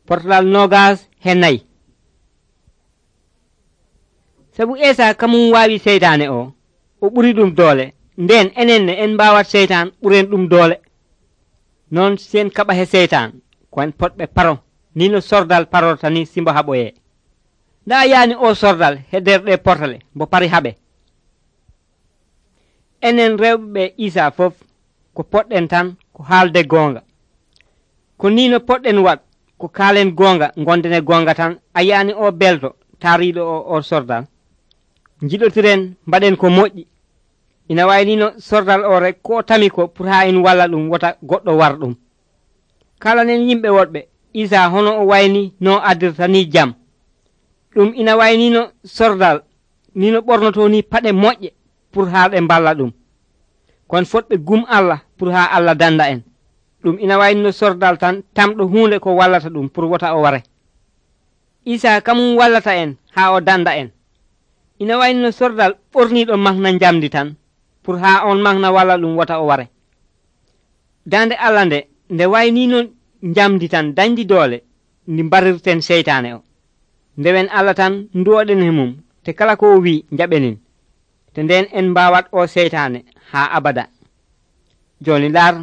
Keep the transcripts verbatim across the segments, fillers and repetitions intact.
portalal nogas he nayi. Sabu Esa kamum waawi seytaane o o ɓuri ɗum doole, nden enen en mbawat seytan ɓuren ɗum doole. Non sen kaɓa he seytan ko en potɓe paro ni no sordal parorta ni simbo haɓoye. nda yaani o sordal he nder ɗe portale mbo pari haɓe. Enen rewɓe Isa fof ko poɗɗen tan ko haalde goonga, ko ni no poɗɗen wat ko kaalen goonga gonden e goonga tan. A yaani o belto taariɗo o o sordal. Jiɗotiren mbaɗen ko moƴƴi. Ina wayni no sordal o rek ko tami ko pour ha en walla ɗum wota goɗɗo war ɗum. Kalanen yimɓe woɗɓe Isa hono o wayni no addirta ni jam. ɗum ina wayni no sordal ni no ɓornoto ni paɗe moƴƴe pour ha ɓe mballa ɗum. Kon fotɓe gum Allah pour ha Allah danda en. ɗum ina wayni no sordal tan tamɗo hunde ko wallata ɗum pour wota o ware. Isa kamum wallata en ha o danda en. Ina wayni no sordal ɓorniɗo mahna jamdi tan pour ha on mahna walla ɗum wota o ware. Dande Allah nde nde wayni no jamdi tan dañdi doole ndi mbarirten seytane o. Ndewen Allah tan nduwoɗen he mum te kala ko o wi jaɓenin te nden en mbawat o seytane ha abada. Joni lar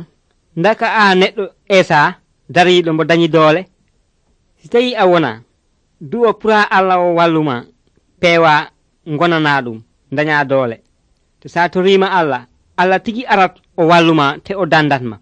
ndaka a neɗɗo Esa dariɗo mbo dañi doole. Si tawi a wona du'o pour ha Allah o walluma peewa gonana ɗum daña doole. To sa torima Allah Allah tigi arat o walluma te o dandatma.